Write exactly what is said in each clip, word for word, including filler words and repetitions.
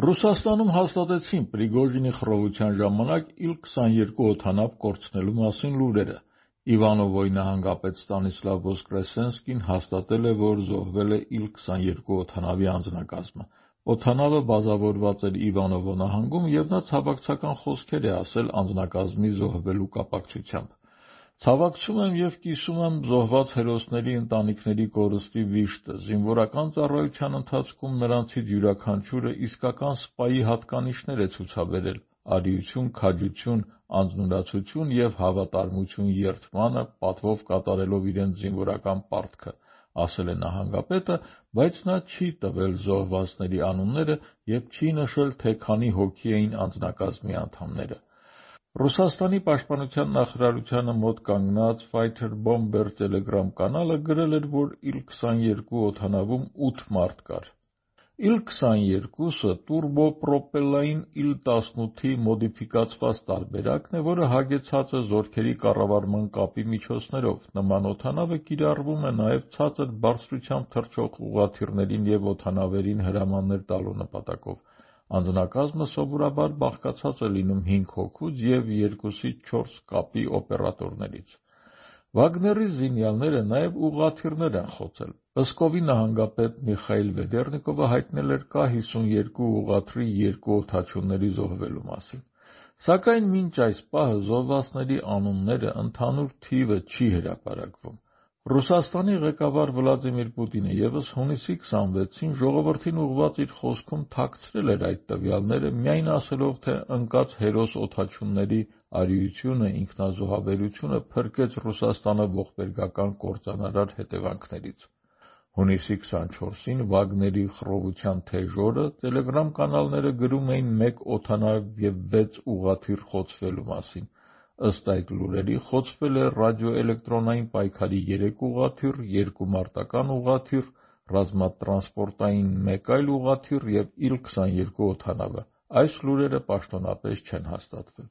Ռուսաստանում հաստատեցին Պրիգոժինի խռովության ժամանակ իլ քսաներկու օդանավ կորցնելու մասին լուրերը։ Իվանովոյի նահանգապետ Ստանիսլավ Վոսկրեսենսկին հաստատել է, որ զոհվել է իլ քսաներկու օդանավի անձնակազմը։ Օդանավը բազավորված էր Իվանովո նահանգում, և նա ցավակցական խոսքեր է ասել անձնակազմի զոհվելու կապակցությամբ։ Ցավակցում եմ և կիսում եմ զոհված հերոսների ընտանիքների կորստի վիշտը։ Զինվորական ծառայության ընթացքում նրանցից յուրաքանչյուրը իսկական սպայի հատկանիշներ է ցուցաբերել՝ արիություն, քաջություն, անձնուրացություն և հավատարմություն երդմանը, պատվով կատարելով իրենց զինվորական պարտքը, ասել է նահանգապետը, բայց նա չի տվել զոհվածների անունները և չի նշել, թե քանի հոգի էին անձնակազմի անդամները։ Ռուսաստանի պաշտպանության նախարարությանը մոտ կանգնած Fighter Bomber Telegram կանալը գրել էր, որ իլ քսաներկու օդանավում ութ մարդ կար։ իլ քսաներկուսը տուրբոպրոպելային իլ տասնութի մոդիֆիկացված տարբերակն է, որը հագեցած է զորքերի կառավարման կապի միջոցներով։ Նման օդանավը կիրառվում է նաև ցածր բարձրությամբ թռչող ուղղաթիռներին և օդանավերին հրամաններ տալու նպատակով։ Անձնակազմը սովորաբար բաղկացած է լինում հինգ հոգուց և երկուսից չորս կապի օպերատորներից։ Վագների զինյալները նաև ուղղաթիռներ են խոցել։ Պսկովի նահանգապետ Միխայիլ Վեդեռնիկովը հայտնել էր Կ հիսունյոթ ուղղաթիռի երկու օդաչուների զոհվելու մասին։ Սակայն մինչ այս պահը զոհվածների անունները, ընդհանուր թիվը չի հրապարակվում։ Ռուսաստանի ղեկավար Վլադիմիր Պուտինը ևս հունիսի քսանվեցին ժողովրդին ուղղված իր խոսքում թաքցրել էր այդ տվյալները, միայն ասելով, թե ընկած հերոս օդաչուների արիությունը, ինքնազոհաբերությունը փրկեց Ռուսաստանը ողբերգական կործանարար հետևանքներից։ Հունիսի քսանչորսին Վագների խռովության թեժ օրը Telegram կանալները գրում էին մեկ օդանավ և վեց ուղղաթիռ խոցվելու մասին։ Ըստ այդ լուրերի, խոցվել է ռադիոէլեկտրոնային պայքարի երեք ուղղաթիռ, երկու մարտական ուղղաթիռ, ռազմատրանսպորտային մեկ այլ ուղղաթիռ և իլ քսաներկու օդանավը։ Այս լուրերը պաշտոնապես չեն հաստատվել։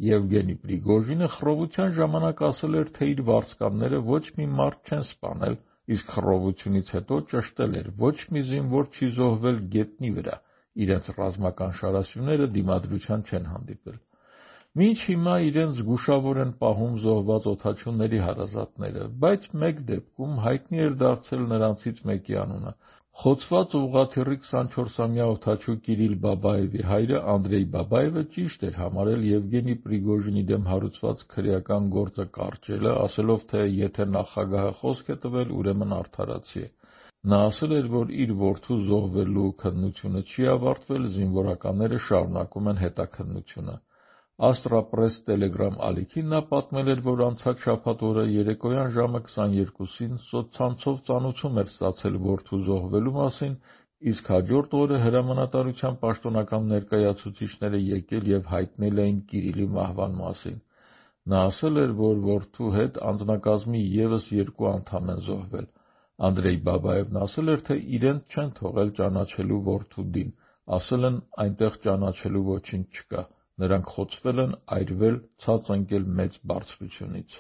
Եվգենի Պրիգոժինը խռովության ժամանակ ասել էր, թե իր վարձկանները ոչ մի մարդ չեն սպանել, իսկ խռովությունից հետո ճշտել էր՝ ոչ մի զինվոր չի զոհվել գետնի վրա, իրենց ռազմական շարասյուները դիմադրության չեն հանդիպել։ Մինչ հիմա իրենց զգուշավոր են պահում զոհված օդաչուների հարազատները, բայց մեկ դեպքում հայտնի էր դարձել նրանցից մեկի անունը։ Խոցված ուղղաթիռի քսանչորսամյա օդաչու Կիրիլ Բաբաևի հայրը Անդրեյ Բաբաևը ճիշտ էր համարել Եվգենի Պրիգոժինի դեմ հարուցված քրեական գործը կարճելը, ասելով, թե եթե նախագահը խոսք է տվել, ուրեմն արդարացի է։ Նա ասել էր, որ իր որդու զոհվելու քննությունը չի ավարտվել, զինվորականները շարունակում են հետաքննությունը։ Աստրապրես Telegram ալիքին նա պատմել էր, որ անցած շաբաթ օրը երեկոյան ժամը քսաներկուսին սոցցանցով ծանուցում էր ստացել որդու զոհվելու մասին, իսկ հաջորդ օրը հրամանատարության պաշտոնական ներկայացուցիչները եկել և հայտնել էին Կիրիլի մահվան մասին։ Նա ասել էր, որ որդու հետ անձնակազմի ևս երկու անդամ են զոհվել։ Անդրեյ Բաբաևն ասել էր, թե իրենց չեն թողել ճանաչելու որդու դին, ասել են՝ այնտեղ ճանաչելու ոչինչ չկա։ Նրանք խոցվել են, այրվել, ցած ընկել մեծ բարձրությունից։